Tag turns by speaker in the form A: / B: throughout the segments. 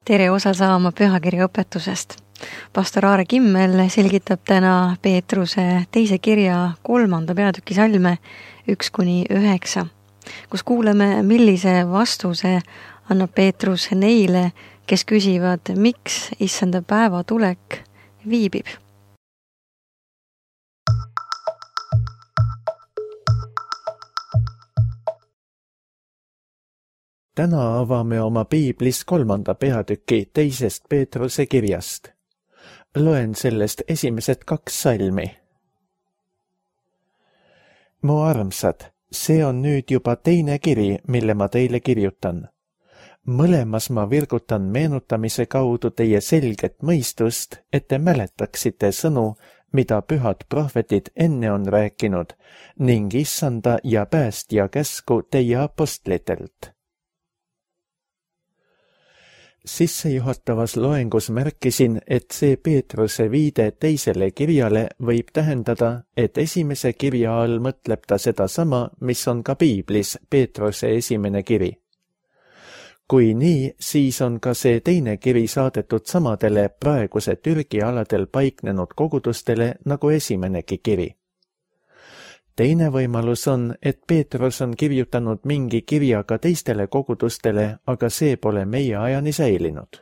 A: Tere osa saama pühakirja õpetusest. Pastor Aare Kimmel selgitab täna Peetruse teise kirja 3. peatüki salme 1-9, kus kuuleme, millise vastuse annab Peetrus neile, kes küsivad, miks issanda päeva tulek viibib.
B: Täna avame oma piiblis 3. peatüki 2. Peetruse kirjast. Loen sellest esimesed 2 salmi. Mu armsad, see on nüüd juba teine kiri, mille ma teile kirjutan. Mõlemas ma virgutan meenutamise kaudu teie selget mõistust, et te mäletaksite sõnu, mida pühad prohvetid enne on rääkinud, ning issanda ja päästja käsku teie apostlitelt. Sissejuhatavas loengus märkisin, et see Peetruse viide teisele kirjale võib tähendada, et esimese kirja all mõtleb ta sedasama, mis on ka piiblis Peetruse esimene kiri. Kui nii, siis on ka see teine kiri saadetud samadele praeguse Türgi aladel paiknenud kogudustele nagu esimenegi kiri. Teine võimalus on, et Peetrus on kirjutanud mingi kirja ka teistele kogudustele, aga see pole meie ajani säilinud.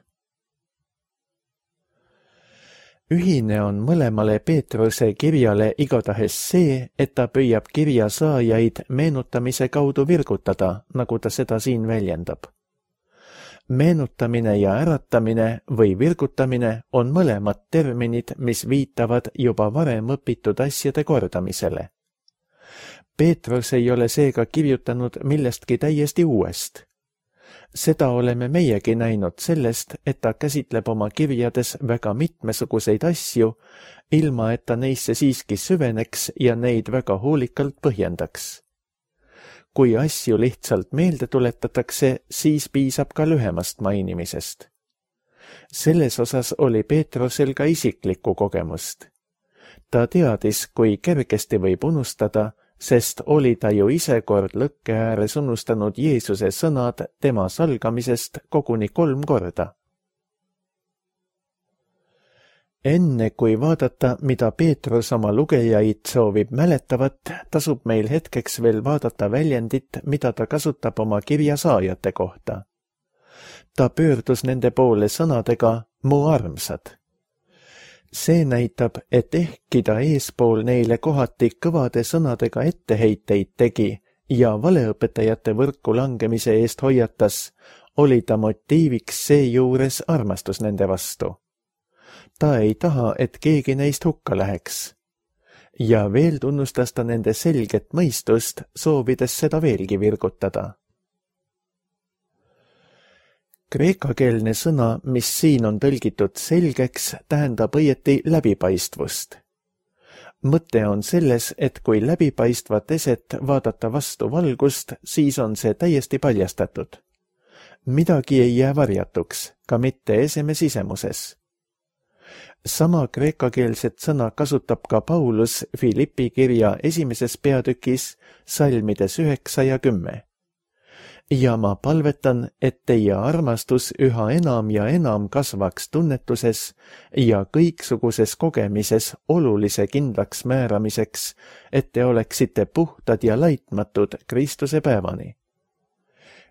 B: Ühine on mõlemale Peetruse kirjale igatahes see, et ta püüab kirja saajaid meenutamise kaudu virgutada, nagu ta seda siin väljendab. Meenutamine ja äratamine või virgutamine on mõlemad terminid, mis viitavad juba varem õpitud asjade kordamisele. Peetrus ei ole seega kirjutanud millestki täiesti uuest. Seda oleme meiegi näinud sellest, et ta käsitleb oma kirjades väga mitmesuguseid asju, ilma et ta neisse siiski süveneks ja neid väga hoolikalt põhjendaks. Kui asju lihtsalt meelde tuletatakse, siis piisab ka lühemast mainimisest. Selles osas oli Peetrusel ka isiklikku kogemust. Ta teadis, kui kergesti võib unustada, sest oli ta ju ise kord lõkke ääres unustanud Jeesuse sõnad tema salgamisest koguni 3 korda. Enne kui vaadata, mida Peetrus oma lugejaid soovib mäletavat, tasub meil hetkeks veel vaadata väljendit, mida ta kasutab oma kirja saajate kohta. Ta pöördus nende poole sõnadega mu armsad. See näitab, et ehkki ta eespool neile kohati kõvade sõnadega etteheiteid tegi ja valeõpetajate võrku langemise eest hoiatas, oli ta motiiviks seejuures armastus nende vastu. Ta ei taha, et keegi neist hukka läheks. Ja veel tunnustas ta nende selget mõistust, soovides seda veelgi virgutada. Kreekakeelne sõna, mis siin on tõlgitud selgeks, tähendab õieti läbipaistvust. Mõte on selles, et kui läbipaistvat eset vaadata vastu valgust, siis on see täiesti paljastatud. Midagi ei jää varjatuks, ka mitte eseme sisemuses. Sama kreekakeelset sõna kasutab ka Paulus Filippi kirja 1. peatükis salmides 9 ja 10. Ja ma palvetan, et teie armastus üha enam ja enam kasvaks tunnetuses ja kõiksuguses kogemises olulise kindlaks määramiseks, et te oleksite puhtad ja laitmatud Kristuse päevani.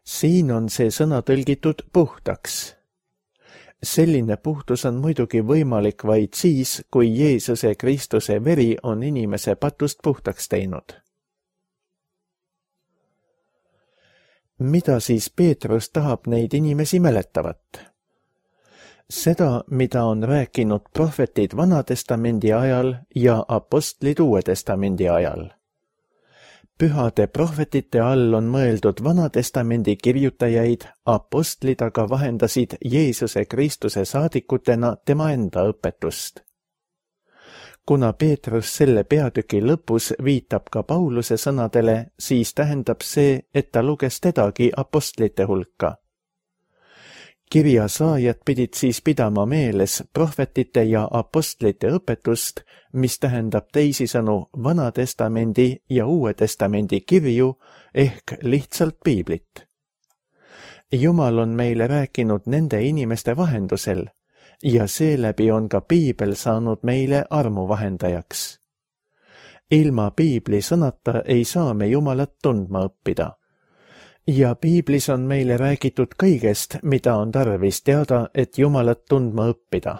B: Siin on see sõna tõlgitud puhtaks. Selline puhtus on muidugi võimalik vaid siis, kui Jeesuse Kristuse veri on inimese patust puhtaks teinud. Mida siis Peetrus tahab neid inimesi mäletavat? Seda, mida on rääkinud prohvetid Vanatestamendi ajal ja apostlid Uue Testamendi ajal. Pühade prohvetite all on mõeldud Vanatestamendi kirjutajaid, apostlid aga vahendasid Jeesuse Kristuse saadikutena tema enda õpetust. Kuna Peetrus selle peatüki lõpus viitab ka Pauluse sõnadele, siis tähendab see, et ta luges tedagi apostlite hulka. Kirja saajad pidid siis pidama meeles prohvetite ja apostlite õpetust, mis tähendab teisisõnu Vanatestamendi ja Uue Testamendi kirju ehk lihtsalt piiblit. Jumal on meile rääkinud nende inimeste vahendusel ja seeläbi on ka piibel saanud meile armuvahendajaks. Ilma piibli sõnata ei saa me Jumalat tundma õppida. Ja piiblis on meile räägitud kõigest, mida on tarvis teada, et Jumalat tundma õppida.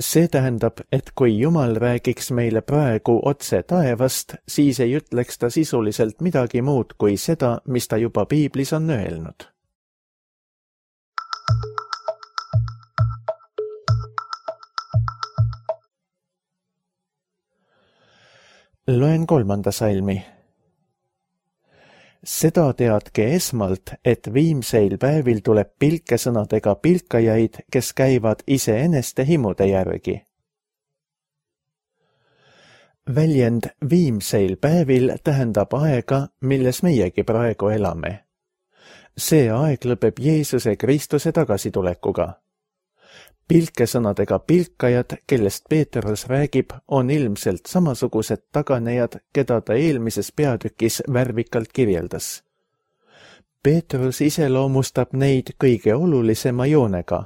B: See tähendab, et kui Jumal räägiks meile praegu otse taevast, siis ei ütleks ta sisuliselt midagi muud kui seda, mis ta juba piiblis on öelnud. Loen 3. salmi. Seda teadke esmalt, et viimseil päevil tuleb pilkesõnadega pilkajaid, kes käivad iseeneste himude järgi. Väljend viimseil päevil tähendab aega, milles meiegi praegu elame. See aeg lõpeb Jeesuse Kristuse tagasitulekuga. Pilkesõnadega pilkajad, kellest Peetrus räägib, on ilmselt samasugused taganejad, keda ta eelmises peatükis värvikalt kirjeldas. Peetrus iseloomustab neid kõige olulisema joonega.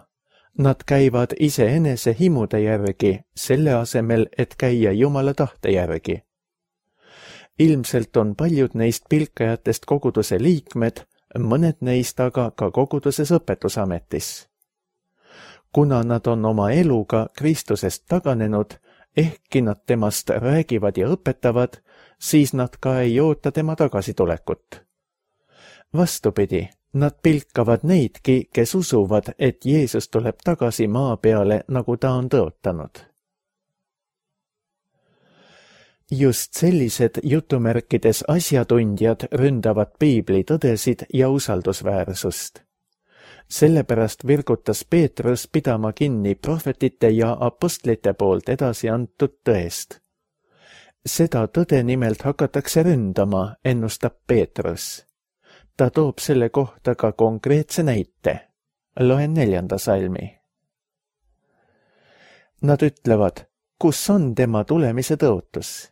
B: Nad käivad iseenese himude järgi, selle asemel, et käia Jumala tahte järgi. Ilmselt on paljud neist pilkajatest koguduse liikmed, mõned neist aga ka koguduses õpetusametis. Kuna nad on oma eluga Kristusest taganenud, ehkki nad temast räägivad ja õpetavad, siis nad ka ei oota tema tagasitulekut. Vastupidi, nad pilkavad neidki, kes usuvad, et Jeesus tuleb tagasi maa peale, nagu ta on tõotanud. Just sellised jutumärkides asjatundjad ründavad piibli tõdesid ja usaldusväärsust. Sellepärast virgutas Peetrus pidama kinni prohvetite ja apostlite poolt edasi antud tõest. Seda tõde nimelt hakatakse ründama, ennustab Peetrus. Ta toob selle kohta ka konkreetse näite. Loen 4. salmi. Nad ütlevad, kus on tema tulemise tõotus?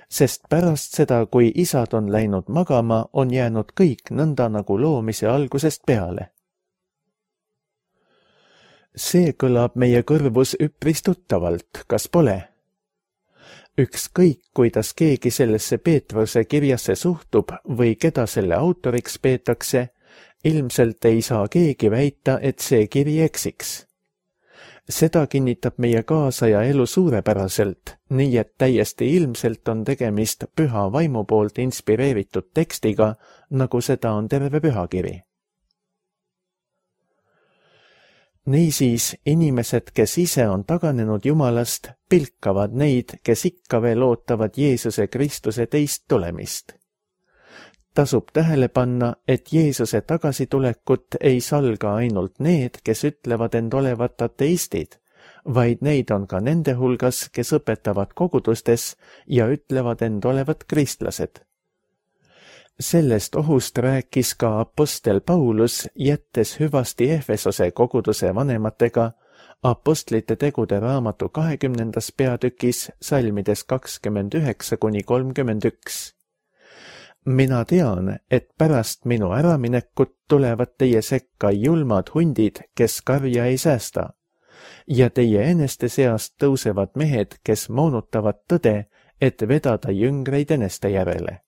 B: Sest pärast seda, kui isad on läinud magama, on jäänud kõik nõnda nagu loomise algusest peale. See kõlab meie kõrvus üpris tuttavalt, kas pole? Ükskõik, kuidas keegi sellesse Peetruse kirjasse suhtub või keda selle autoriks peetakse, ilmselt ei saa keegi väita, et see kiri eksiks. Seda kinnitab meie kaasaja elu suurepäraselt, nii et täiesti ilmselt on tegemist püha vaimu poolt inspireeritud tekstiga, nagu seda on terve pühakiri. Niisiis, inimesed, kes ise on taganenud Jumalast, pilkavad neid, kes ikka veel ootavad Jeesuse Kristuse teist tulemist. Tasub tähele panna, et Jeesuse tagasitulekut ei salga ainult need, kes ütlevad end olevat ateistid, vaid neid on ka nende hulgas, kes õpetavad kogudustes ja ütlevad end olevat kristlased. Sellest ohust rääkis ka apostel Paulus, jättes hüvasti Efesose koguduse vanematega apostlite tegude raamatu 20. peatükis salmides 29–31. Mina tean, et pärast minu äraminekut tulevad teie sekka julmad hundid, kes karja ei säästa, ja teie eneste seast tõusevad mehed, kes moonutavad tõde, et vedada jüngreid eneste järele.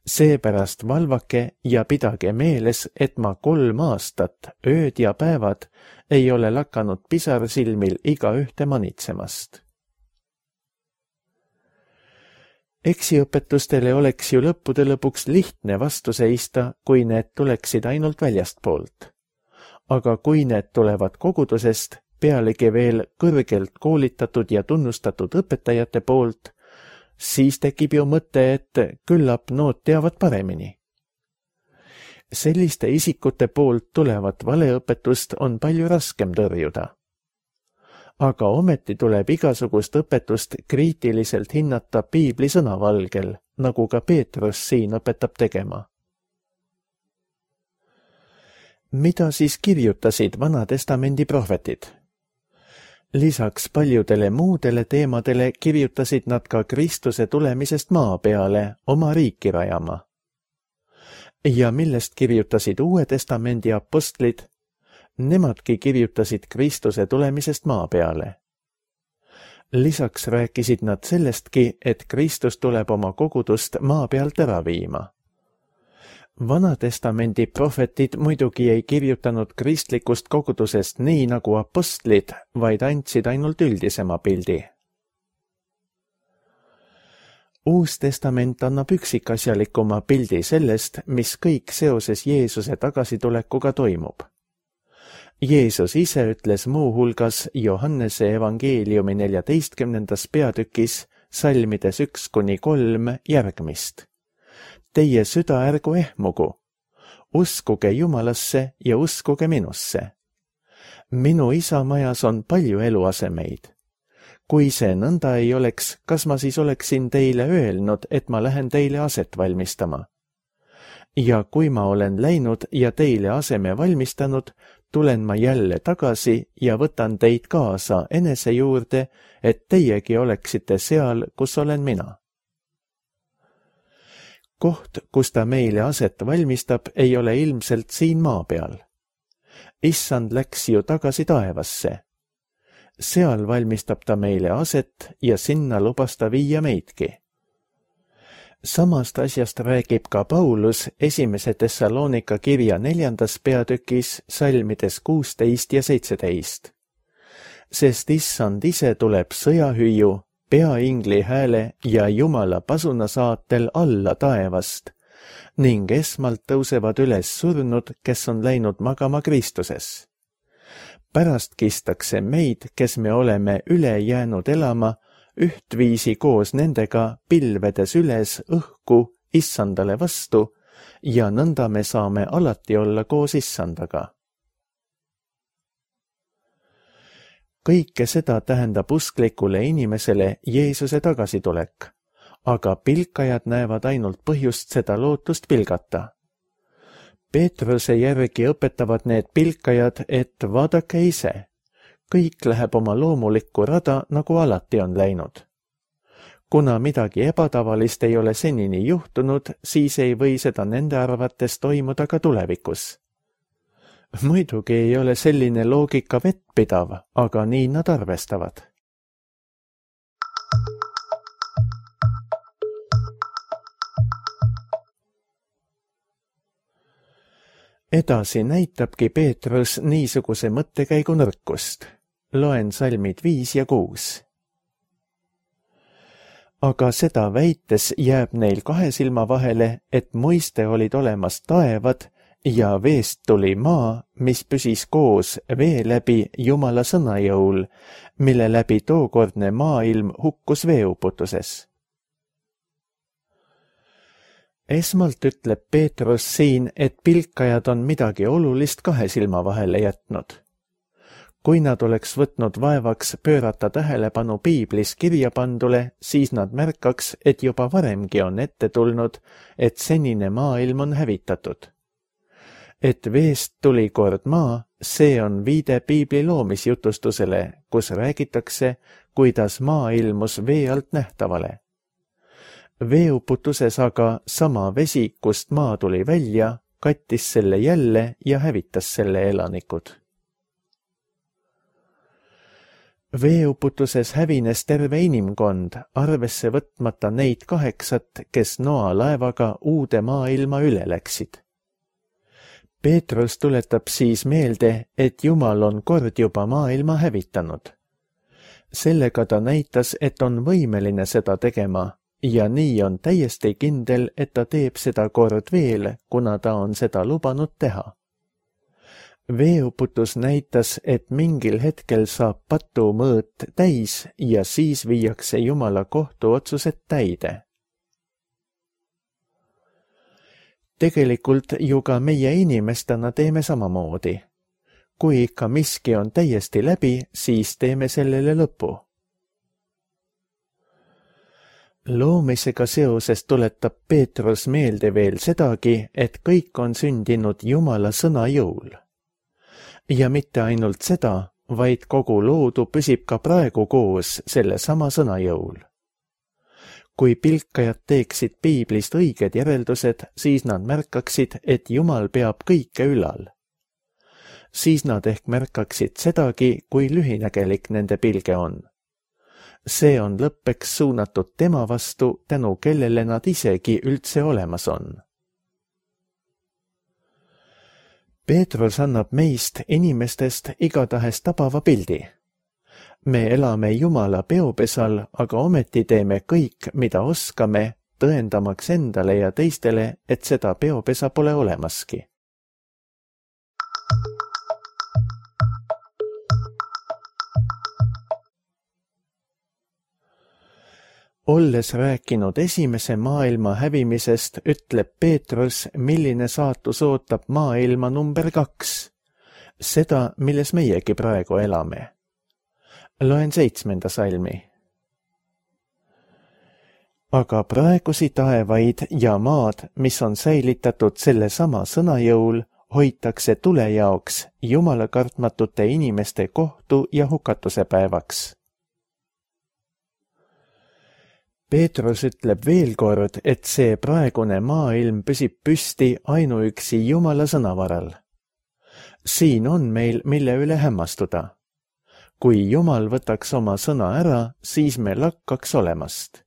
B: Seepärast valvake ja pidage meeles, et ma 3 aastat, ööd ja päevad, ei ole lakanud pisarsilmil igaühte manitsemast. Eksiõpetustele oleks ju lõppude lõpuks lihtne vastu seista, kui need tuleksid ainult väljastpoolt. Aga kui need tulevad kogudusest, pealegi veel kõrgelt koolitatud ja tunnustatud õpetajate poolt, siis tekib ju mõte, et küllap nood teavad paremini. Selliste isikute poolt tulevat valeõpetust on palju raskem tõrjuda. Aga ometi tuleb igasugust õpetust kriitiliselt hinnata piibli sõnavalgel, nagu ka Peetrus siin õpetab tegema. Mida siis kirjutasid Vana-testamendi prohvetid? Lisaks paljudele muudele teemadele kirjutasid nad ka Kristuse tulemisest maa peale oma riiki rajama. ja millest kirjutasid Uue Testamendi apostlid, nemadki kirjutasid Kristuse tulemisest maa peale. Lisaks rääkisid nad sellestki, et Kristus tuleb oma kogudust maa pealt ära viima. Vanatestamendi prohvetid muidugi ei kirjutanud kristlikust kogudusest nii nagu apostlid, vaid andsid ainult üldisema pildi. Uus testament annab üksikasjalikuma pildi sellest, mis kõik seoses Jeesuse tagasitulekuga toimub. Jeesus ise ütles muuhulgas Johannese evangeeliumi 14. peatükis salmides 1-3 järgmist. Teie süda ärgu ehmugu, uskuge Jumalasse ja uskuge minusse. Minu isa majas on palju eluasemeid. Kui see nõnda ei oleks, kas ma siis oleksin teile öelnud, et ma lähen teile aset valmistama? Ja kui ma olen läinud ja teile aseme valmistanud, tulen ma jälle tagasi ja võtan teid kaasa enese juurde, et teiegi oleksite seal, kus olen mina. Koht, kus ta meile aset valmistab, ei ole ilmselt siin maa peal. Issand läks ju tagasi taevasse. Seal valmistab ta meile aset ja sinna lubas ta viia meidki. Samast asjast räägib ka Paulus 1. Thessalonika kirja 4. peatükis salmides 16 ja 17. Sest issand ise tuleb sõjahüüu, peaingli hääle ja Jumala pasuna saatel alla taevast ning esmalt tõusevad üles surnud, kes on läinud magama Kristuses. Pärast kistakse meid, kes me oleme üle jäänud elama, ühtviisi koos nendega pilvedes üles õhku issandale vastu ja nõnda me saame alati olla koos issandaga. Kõike seda tähendab usklikule inimesele Jeesuse tagasitulek, aga pilkajad näevad ainult põhjust seda lootust pilgata. Peetruse järgi õpetavad need pilkajad, et vaadake ise, kõik läheb oma loomulikku rada, nagu alati on läinud. Kuna midagi ebatavalist ei ole senini juhtunud, siis ei või seda nende arvates toimuda ka tulevikus. Muidugi ei ole selline loogika vettpidav, aga nii nad arvestavad. Edasi näitabki Peetrus niisuguse mõttekäigu nõrkust. Loen salmid 5 ja 6. Aga seda väites jääb neil 2 silma vahele, et muiste olid olemas taevad ja veest tuli maa, mis püsis koos vee läbi Jumala sõna jõul, mille läbi tookordne maailm hukkus veeuputuses. Esmalt ütleb Peetrus siin, et pilkajad on midagi olulist 2 silma vahele jätnud. Kui nad oleks võtnud vaevaks pöörata tähelepanu piiblis kirjapandule, siis nad märkaks, et juba varemgi on ette tulnud, et senine maailm on hävitatud. Et veest tuli kord maa, see on viide piibli loomisjutustusele, kus räägitakse, kuidas maa ilmus vee alt nähtavale. Veeuputuses aga sama vesi, kust maa tuli välja, kattis selle jälle ja hävitas selle elanikud. Veeuputuses hävines terve inimkond, arvesse võtmata neid 8, kes Noa laevaga uude maailma üle läksid. Peetrus tuletab siis meelde, et Jumal on kord juba maailma hävitanud. Sellega ta näitas, et on võimeline seda tegema ja nii on täiesti kindel, et ta teeb seda kord veel, kuna ta on seda lubanud teha. Veeuputus näitas, et mingil hetkel saab patu mõõt täis ja siis viiakse Jumala kohtuotsused täide. Tegelikult ju ka meie inimestena teeme samamoodi. Kui ikka miski on täiesti läbi, siis teeme sellele lõpu. Loomisega seoses tuletab Peetrus meelde veel sedagi, et kõik on sündinud Jumala sõna jõul. Ja mitte ainult seda, vaid kogu loodu püsib ka praegu koos selle sama sõna jõul. Kui pilkajad teeksid piiblist õiged järeldused, siis nad märkaksid, et Jumal peab kõike ülal. Siis nad ehk märkaksid sedagi, kui lühinägelik nende pilge on. See on lõppeks suunatud tema vastu, tänu kellele nad isegi üldse olemas on. Peetrus annab meist, inimestest, igatahes tabava pildi. Me elame Jumala peopesal, aga ometi teeme kõik, mida oskame, tõendamaks endale ja teistele, et seda peopesa pole olemaski. Olles rääkinud esimese maailma hävimisest, ütleb Peetrus, milline saatus ootab maailma number 2, seda, milles meiegi praegu elame. Loen 7. salmi. Aga praegusi taevaid ja maad, mis on säilitatud selle sama sõna jõul, hoitakse tule jaoks, Jumala kartmatute inimeste kohtu ja hukatuse päevaks. Peetrus ütleb veel kord, et see praegune maailm püsib püsti ainuüksi Jumala sõnavaral. Siin on meil, mille üle hämmastuda. Kui Jumal võtaks oma sõna ära, siis me lakkaks olemast.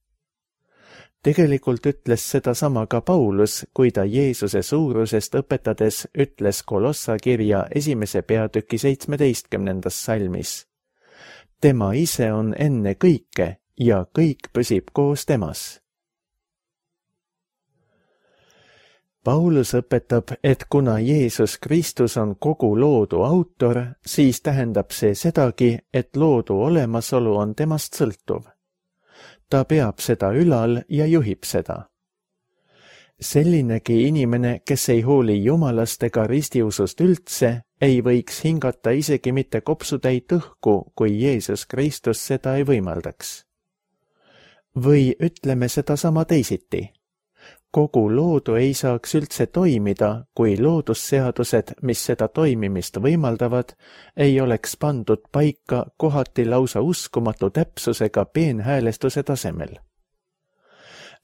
B: Tegelikult ütles seda sama ka Paulus, kui ta Jeesuse suurusest õpetades ütles Kolossa kirja 1. peatüki 17. salmis. Tema ise on enne kõike ja kõik püsib koos temas. Paulus õpetab, et kuna Jeesus Kristus on kogu loodu autor, siis tähendab see sedagi, et loodu olemasolu on temast sõltuv. Ta peab seda ülal ja juhib seda. Sellinegi inimene, kes ei hooli Jumalast ega ristiusust üldse, ei võiks hingata isegi mitte kopsutäit õhku, kui Jeesus Kristus seda ei võimaldaks. Või ütleme seda sama teisiti. Kogu loodu ei saaks üldse toimida, kui loodusseadused, mis seda toimimist võimaldavad, ei oleks pandud paika kohati lausa uskumatu täpsusega peenhäälestuse tasemel.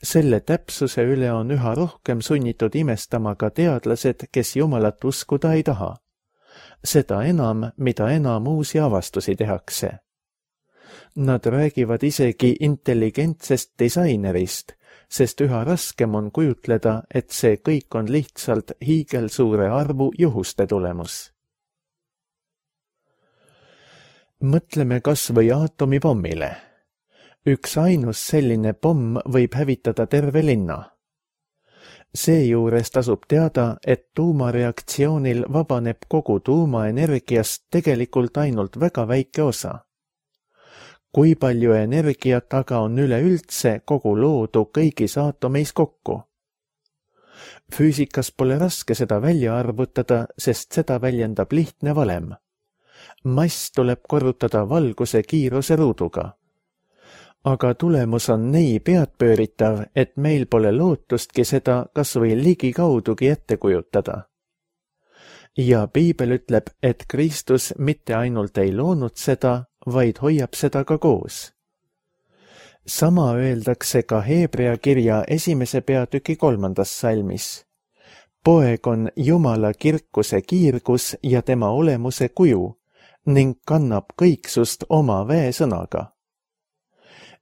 B: Selle täpsuse üle on üha rohkem sunnitud imestama ka teadlased, kes Jumalat uskuda ei taha. Seda enam, mida enam uusi avastusi tehakse. Nad räägivad isegi intelligentsest disainerist, sest üha raskem on kujutleda, et see kõik on lihtsalt hiigelsuure arvu juhuste tulemus. Mõtleme kas või aatomipommile. Üks ainus selline pomm võib hävitada terve linna. Seejuures tasub teada, et tuumareaktsioonil vabaneb kogu tuumaenergiast tegelikult ainult väga väike osa. Kui palju energiat aga on üleüldse kogu loodu kõigis aatomeis kokku? Füüsikas pole raske seda välja arvutada, sest seda väljendab lihtne valem. Mass tuleb korrutada valguse kiiruse ruuduga. Aga tulemus on nii peadpööritav, et meil pole lootustki seda kas või ligikaudugi ette kujutada. Ja Piibel ütleb, et Kristus mitte ainult ei loonud seda, vaid hoiab seda ka koos. Sama öeldakse ka Hebrea kirja 1. peatüki 3. salmis. Poeg on Jumala kirkuse kiirgus ja tema olemuse kuju ning kannab kõiksust oma väesõnaga.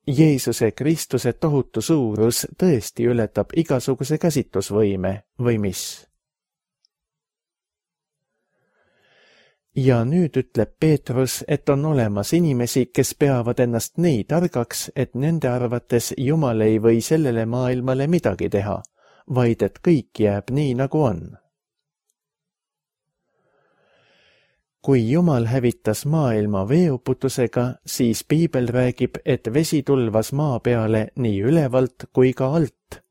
B: Jeesuse Kristuse tohutu suurus tõesti ületab igasuguse käsitlusvõime või mis? Ja nüüd ütleb Peetrus, et on olemas inimesi, kes peavad ennast nii targaks, et nende arvates Jumal ei või sellele maailmale midagi teha, vaid et kõik jääb nii, nagu on. Kui Jumal hävitas maailma veeuputusega, siis Piibel räägib, et vesi tulvas maa peale nii ülevalt kui ka alt,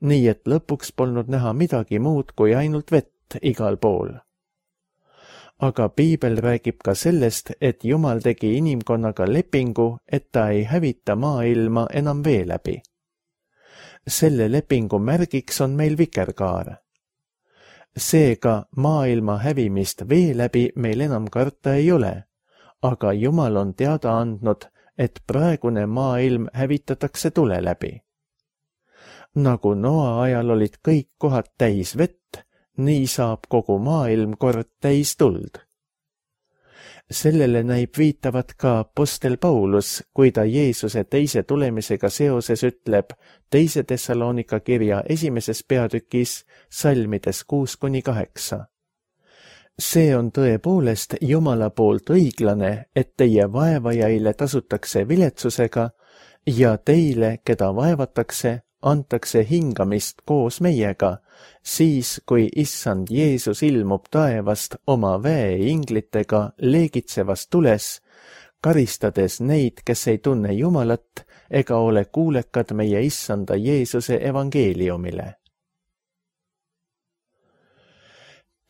B: nii et lõpuks polnud näha midagi muud kui ainult vett igal pool. Aga Piibel räägib ka sellest, et Jumal tegi inimkonnaga lepingu, et ta ei hävita maailma enam vee läbi. Selle lepingu märgiks on meil vikerkaar. Seega maailma hävimist vee läbi meil enam karta ei ole, aga Jumal on teada andnud, et praegune maailm hävitatakse tule läbi. Nagu Noa ajal olid kõik kohad täis vett, nii saab kogu maailm kord täis tuld. Sellele näib viitavat ka apostel Paulus, kui ta Jeesuse teise tulemisega seoses ütleb teise Thessalonika kirja 1. peatükis salmides 6-8. See on tõepoolest Jumala poolt õiglane, et teie vaevajaile tasutakse viletsusega ja teile, keda vaevatakse, antakse hingamist koos meiega, siis kui issand Jeesus ilmub taevast oma väeinglitega leegitsevas tules, karistades neid, kes ei tunne Jumalat ega ole kuulekad meie issanda Jeesuse evangeeliumile.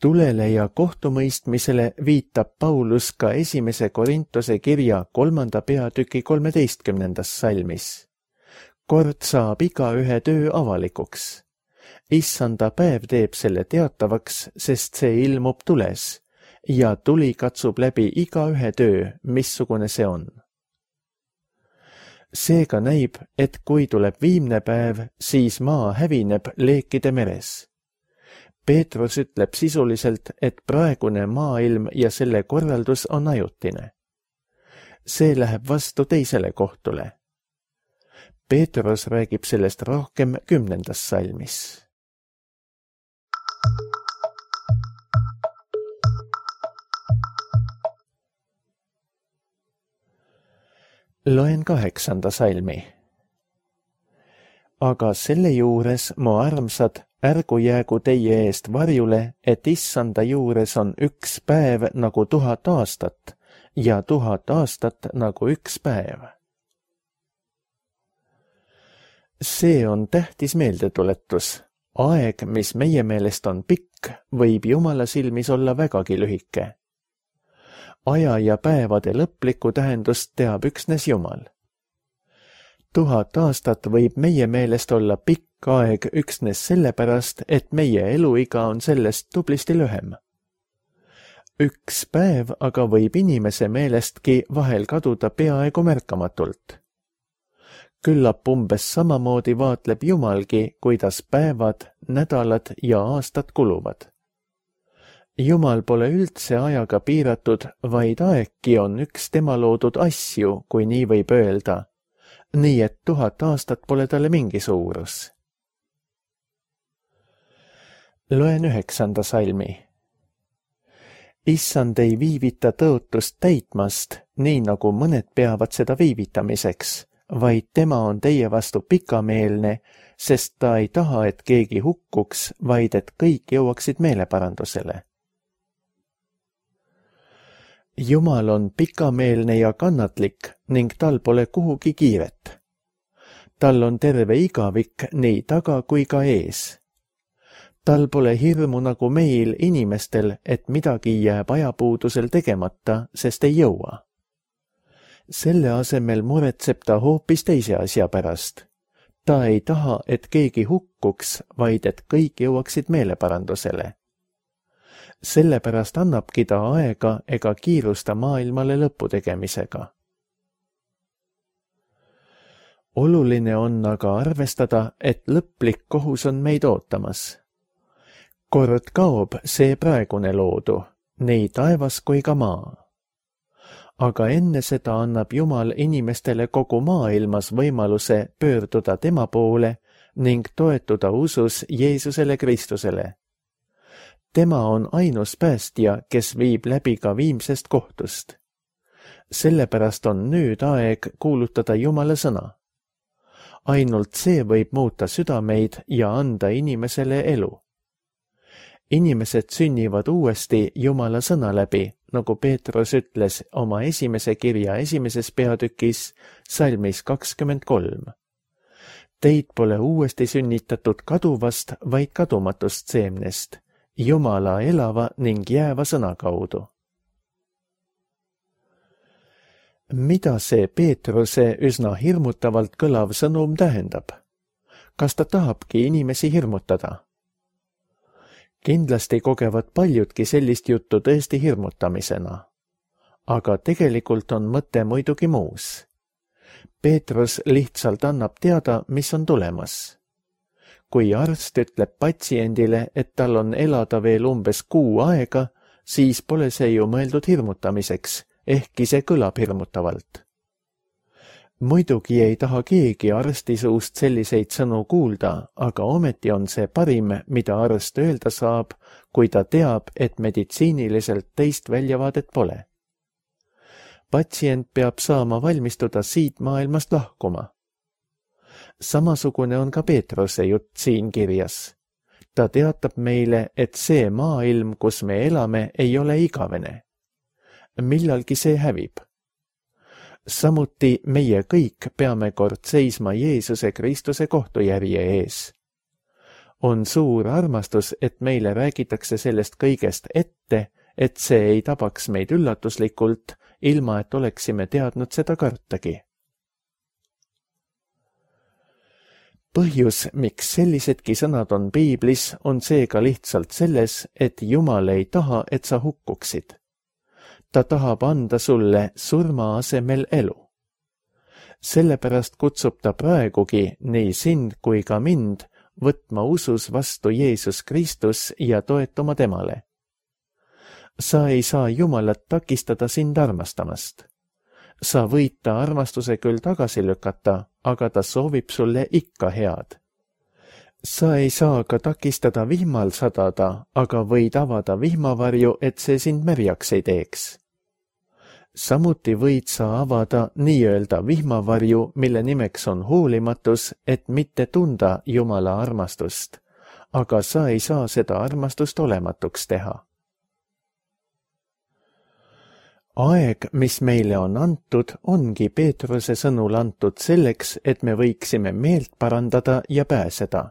B: Tulele ja kohtumõistmisele viitab Paulus ka 1. Korintuse kirja 3. peatüki 13. salmis. Kord saab igaühe töö avalikuks. Issanda päev teeb selle teatavaks, sest see ilmub tules ja tuli katsub läbi igaühe töö, missugune see on. Seega näib, et kui tuleb viimne päev, siis maa hävineb leekide meres. Peetrus ütleb sisuliselt, et praegune maailm ja selle korraldus on ajutine. See läheb vastu teisele kohtule. Peetrus räägib sellest rohkem 10. salmis. Loen 8. salmi. Aga selle juures, mu armsad, ärgu jäägu teie eest varjule, et issanda juures on üks päev nagu 1000 aastat ja 1000 aastat nagu üks päev. See on tähtis meeldetuletus. Aeg, mis meie meelest on pikk, võib Jumala silmis olla vägagi lühike. Aja ja päevade lõplikku tähendust teab üksnes Jumal. 1000 aastat võib meie meelest olla pikk aeg üksnes sellepärast, et meie eluiga on sellest tublisti lühem. Üks päev aga võib inimese meelestki vahel kaduda peaaegu märkamatult. Küllap umbes samamoodi vaatleb Jumalgi, kuidas päevad, nädalad ja aastad kuluvad. Jumal pole üldse ajaga piiratud, vaid aegki on üks tema loodud asju, kui nii võib öelda. Nii et 1000 aastat pole talle mingi suurus. Loen 9. salmi. Issand ei viivita tõotust täitmast, nii nagu mõned peavad seda viivitamiseks, vaid tema on teie vastu pikameelne, sest ta ei taha, et keegi hukkuks, vaid et kõik jõuaksid meeleparandusele. Jumal on pikameelne ja kannatlik ning tal pole kuhugi kiiret. Tal on terve igavik nii taga kui ka ees. Tal pole hirmu nagu meil inimestel, et midagi jääb ajapuudusel tegemata, sest ei jõua. Selle asemel muretseb ta hoopis teise asja pärast. Ta ei taha, et keegi hukkuks, vaid et kõik jõuaksid meeleparandusele. Sellepärast annabki ta aega ega kiirusta maailmale lõpu tegemisega. Oluline on aga arvestada, et lõplik kohus on meid ootamas. Kord kaob see praegune loodu, nii taevas kui ka maa. Aga enne seda annab Jumal inimestele kogu maailmas võimaluse pöörduda tema poole ning toetuda usus Jeesusele Kristusele. Tema on ainus päästja, kes viib läbi ka viimsest kohtust. Sellepärast on nüüd aeg kuulutada Jumala sõna. Ainult see võib muuta südameid ja anda inimesele elu. Inimesed sünnivad uuesti Jumala sõna läbi, nagu Peetrus ütles oma 1. kirja 1. peatükis salmis 23. Teid pole uuesti sünnitatud kaduvast, vaid kadumatust seemnest, Jumala elava ning jääva sõna kaudu. Mida see Peetruse üsna hirmutavalt kõlav sõnum tähendab? Kas ta tahabki inimesi hirmutada? Kindlasti kogevad paljudki sellist juttu tõesti hirmutamisena. Aga tegelikult on mõte muidugi muus. Peetrus lihtsalt annab teada, mis on tulemas. kui arst ütleb patsiendile, et tal on elada veel umbes 6 kuu aega, siis pole see ju mõeldud hirmutamiseks, ehkki see kõlab hirmutavalt. Muidugi ei taha keegi arsti suust selliseid sõnu kuulda, aga ometi on see parim, mida arst öelda saab, kui ta teab, et meditsiiniliselt teist väljavaadet pole. Patsient peab saama valmistuda siit maailmast lahkuma. Samasugune on ka Peetruse jutt siin kirjas. Ta teatab meile, et see maailm, kus me elame, ei ole igavene. Millalgi see hävib. Samuti meie kõik peame kord seisma Jeesuse Kristuse kohtujärje ees. On suur armastus, et meile räägitakse sellest kõigest ette, et see ei tabaks meid üllatuslikult, ilma et oleksime teadnud seda kartagi. Põhjus, miks sellisedki sõnad on piiblis, on seega lihtsalt selles, et Jumal ei taha, et sa hukkuksid. Ta tahab anda sulle surma asemel elu. Sellepärast kutsub ta praegugi nii sind kui ka mind võtma usus vastu Jeesus Kristus ja toetuma temale. Sa ei saa Jumalat takistada sind armastamast. Sa võid ta armastuse küll tagasi lükata, aga ta soovib sulle ikka head. Sa ei saa ka takistada vihmal sadada, aga võid avada vihmavarju, et see sind märjaks ei teeks. Samuti võid sa avada nii-öelda vihmavarju, mille nimeks on hoolimatus, et mitte tunda Jumala armastust, aga sa ei saa seda armastust olematuks teha. Aeg, mis meile on antud, ongi Peetruse sõnul antud selleks, et me võiksime meelt parandada ja pääseda.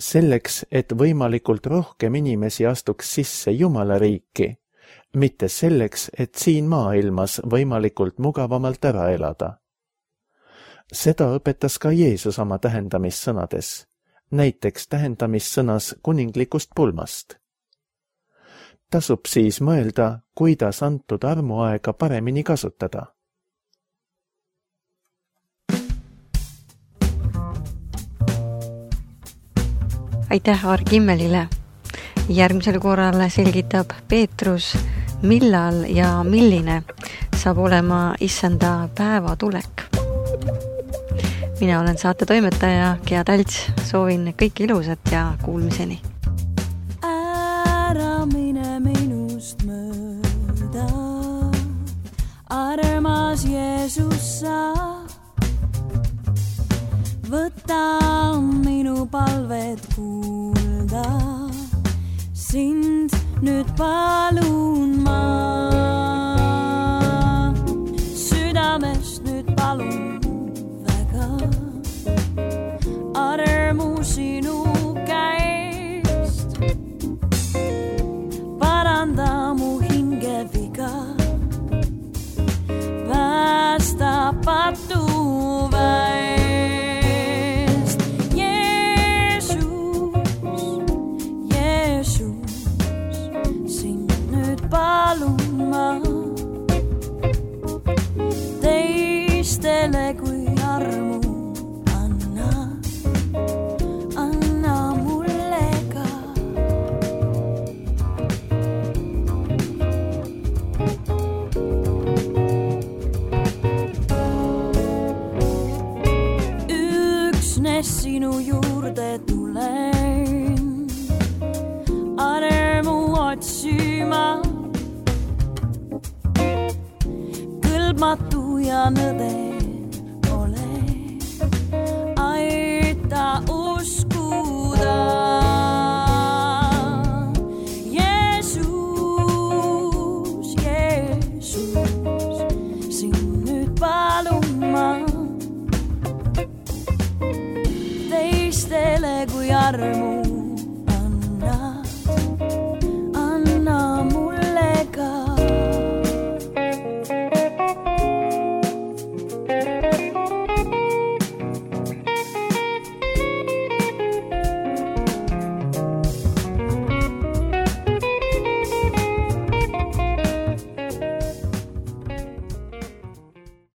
B: Selleks, et võimalikult rohkem inimesi astuks sisse Jumala riiki, mitte selleks, et siin maailmas võimalikult mugavamalt ära elada. Seda õpetas ka Jeesus oma tähendamissõnades, näiteks tähendamissõnas kuninglikust pulmast. Tasub siis mõelda, kuidas antud armuaega paremini kasutada.
A: Aitäh Aar Kimmelile. Järgmisel korral selgitab Peetrus, millal ja milline saab olema issanda päevatulek. Mina olen saate toimetaja Gea Talts, soovin kõik ilusat ja kuulmiseni.
C: Ära mine minust mööda, armas Jeesus sa, võta minu palved kuulda, sind nüüd palun ma, südamest nüüd palun väga, armu sinu käest, paranda mu hinge viga, päästa patu väest. Jeesus, sind nüüd palun ma, teistele kui armu anna mulle ka. Üksnes sinu juurde tulen, armu otsima, kõlbmatu ja nõde